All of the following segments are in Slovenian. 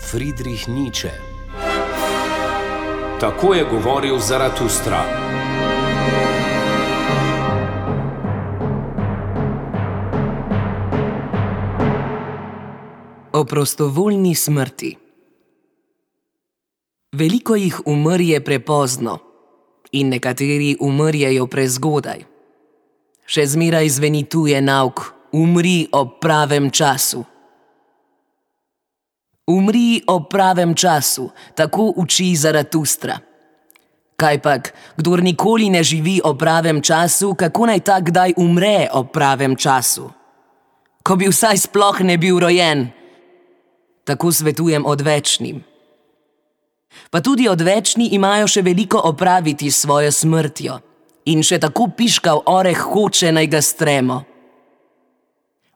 Friedrich Nietzsche. Tako je govoril Zaratustra. O prostovoljni smrti. Veliko jih umrje prepozno in nekateri umrjejo prezgodaj. Še zmeraj zveni tuje nauk: umri ob pravem času. Umri ob pravem času, tako uči Zaratustra. Kajpak, kdor nikoli ne živi ob pravem času, kako naj ta kdaj umre ob pravem času? Ko bi vsaj sploh ne bil rojen. Tako svetujem odvečnim. Pa tudi odvečni imajo še veliko opraviti s svojo smrtjo in še tako piškav oreh hoče, naj ga stremo.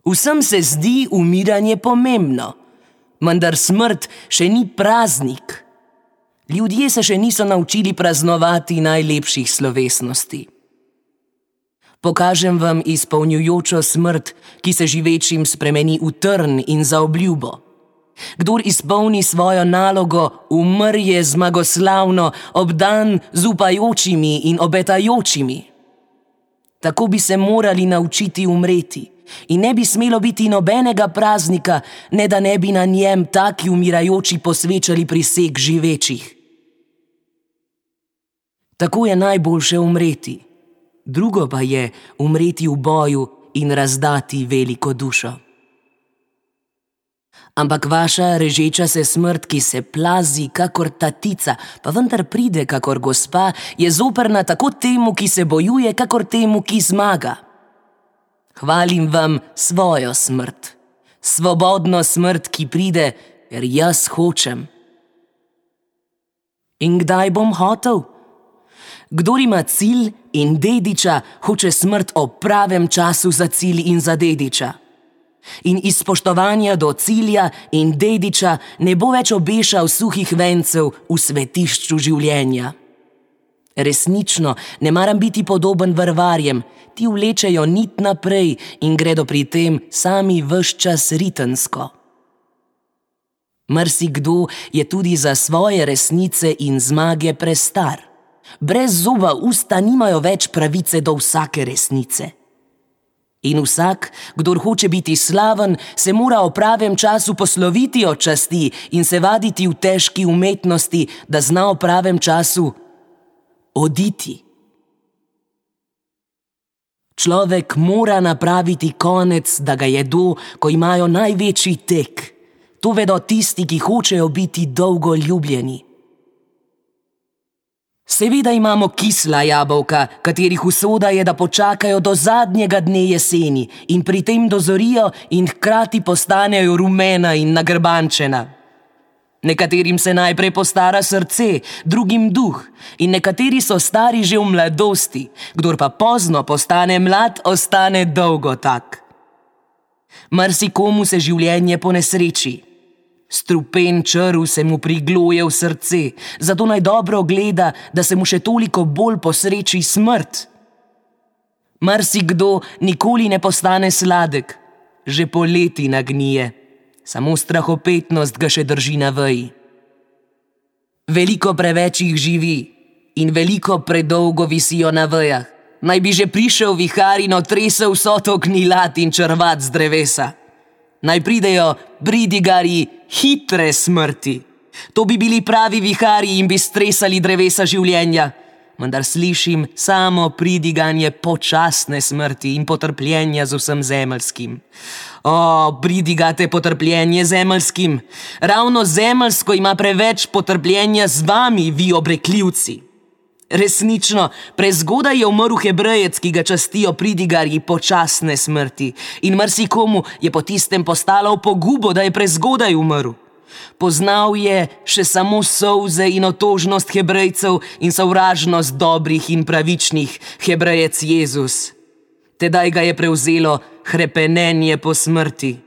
Vsem se zdi umiranje pomembno, vendar smrt še ni praznik. Ljudje se še niso naučili praznovati najlepših slovesnosti. Pokažem vam izpolnjujočo smrt, ki se živečim spremeni v trn in zaobljubo. Kdor izpolni svojo nalogo, umrje zmagoslavno, obdan z upajočimi in obetajočimi. Tako bi se morali naučiti umreti in ne bi smelo biti nobenega praznika, ne da ne bi na njem taki umirajoči posvečali priseg živečih. Tako je najboljše umreti, drugo pa je umreti v boju in razdati veliko dušo. Ampak vaša režeča se smrt, ki se plazi kakor tatica, pa vendar pride kakor gospa, je zoprna tako temu, ki se bojuje, kakor temu, ki zmaga. Hvalim vam svojo smrt, svobodno smrt, ki pride, ker jaz hočem. In kdaj bom hotel? Kdor ima cilj in dediča, hoče smrt ob pravem času za cilj in za dediča. In iz spoštovanja do cilja in dediča ne bo več obešal suhih vencev v svetišču življenja. Resnično ne maram biti podoben vrvarjem, ti vlečejo nit naprej in gredo pri tem sami ves čas ritensko. Marsikdo je tudi za svoje resnice in zmage prestar. Brez zoba usta nimajo več pravice do vsake resnice. In vsak, kdor hoče biti slaven, se mora o pravem času posloviti od časti in se vaditi v težki umetnosti, da zna o pravem času oditi. Človek mora napraviti konec, da ga jedo, ko imajo največji tek. To vedo tisti, ki hočejo biti dolgo ljubljeni. Seveda imamo kisla jabolka, katerih usoda je, da počakajo do zadnjega dne jeseni in pri tem dozorijo in hkrati postanejo rumena in nagrbančena. Nekaterim se najprej postara srce, drugim duh in nekateri so stari že v mladosti, kdor pa pozno postane mlad, ostane dolgo tak. Marsikomu se življenje ponesreči. Strupen črv se mu prigloje v srce, zato naj dobro gleda, da se mu še toliko bolj posreči smrt. Marsikdo nikoli ne postane sladek, že poleti nagnije, samo strahopetnost ga še drži na veji. Veliko preveč jih živi in veliko predolgo visijo na vejah. Naj bi že prišel vihar in otresel vso to gnilat in črvat z drevesa. Naj pridejo bridigarji hitre smrti. To bi bili pravi viharji in bi stresali drevesa življenja. Vendar slišim samo pridiganje počasne smrti in potrpljenja z vsem zemeljskim. O, pridigate potrpljenje zemeljskim. Ravno zemeljsko ima preveč potrpljenja z vami, vi obrekljivci. Resnično, prezgodaj je umrl Hebrejec, ki ga častijo pridigarji počasne smrti, in marsikomu je po tistem postalo v pogubo, da je prezgodaj umrl. Poznal je še samo solze in otožnost Hebrejcev in sovražnost dobrih in pravičnih, Hebrejec Jezus. Tedaj ga je prevzelo hrepenenje po smrti.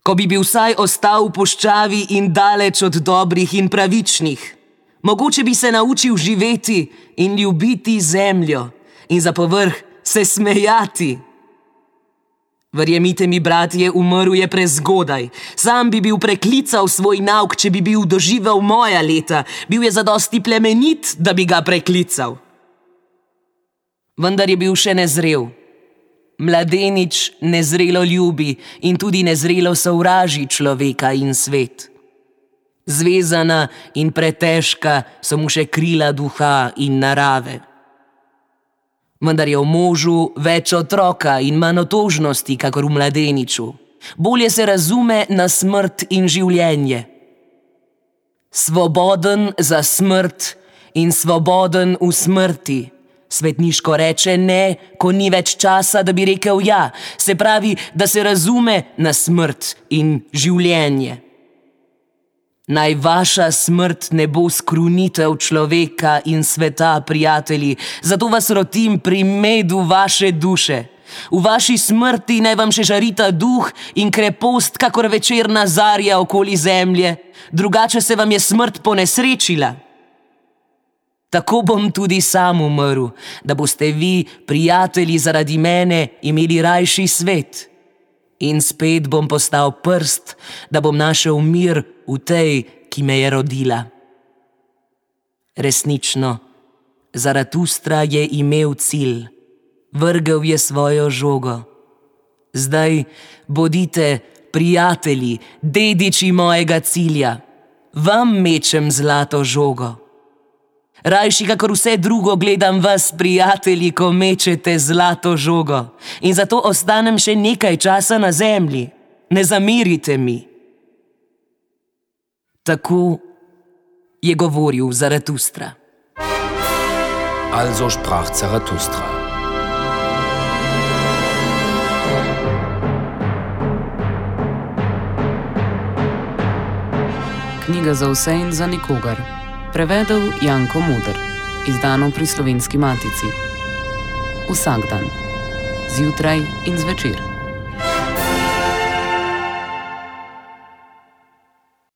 Ko bi bil vsaj ostal v puščavi in daleč od dobrih in pravičnih, mogoče bi se naučil živeti in ljubiti zemljo in za povrh se smejati. Verjemite mi, bratje, umrl je prezgodaj. Sam bi bil preklical svoj nauk, če bi bil doživel moja leta. Bil je zadosti plemenit, da bi ga preklical. Vendar je bil še nezrel. Mladenič nezrelo ljubi in tudi nezrelo sovraži človeka in svet. Zvezana in pretežka so mu še krila duha in narave. Vendar je v možu več otroka in manj otožnosti, kakor v mladeniču. Bolje se razume na smrt in življenje. Svoboden za smrt in svoboden v smrti. Svetniško reče ne, ko ni več časa, da bi rekel ja. Se pravi, da se razume na smrt in življenje. Naj vaša smrt ne bo skrunitev človeka in sveta, prijatelji, zato vas rotim pri medu vaše duše. V vaši smrti naj vam še žarita duh in krepost, kakor večerna zarja okoli zemlje, drugače se vam je smrt ponesrečila. Tako bom tudi sam umrl, da boste vi, prijatelji, zaradi mene imeli rajši svet. In spet bom postal prst, da bom našel mir v tej, ki me je rodila. Resnično, Zaratustra je imel cilj. Vrgel je svojo žogo. Zdaj bodite prijatelji, dediči mojega cilja. Vam mečem zlato žogo. Rajši kakor vse drugo gledam vas, prijatelji, ko mečete zlato žogo. In zato ostanem še nekaj časa na zemlji. Ne zamerite mi. Tako je govoril Zaratustra. Also sprach Zarathustra. Knjiga za vse in za nikogar. Prevedel Janko Moder. Izdano pri Slovenski matici. Vsak dan. Zjutraj in zvečer.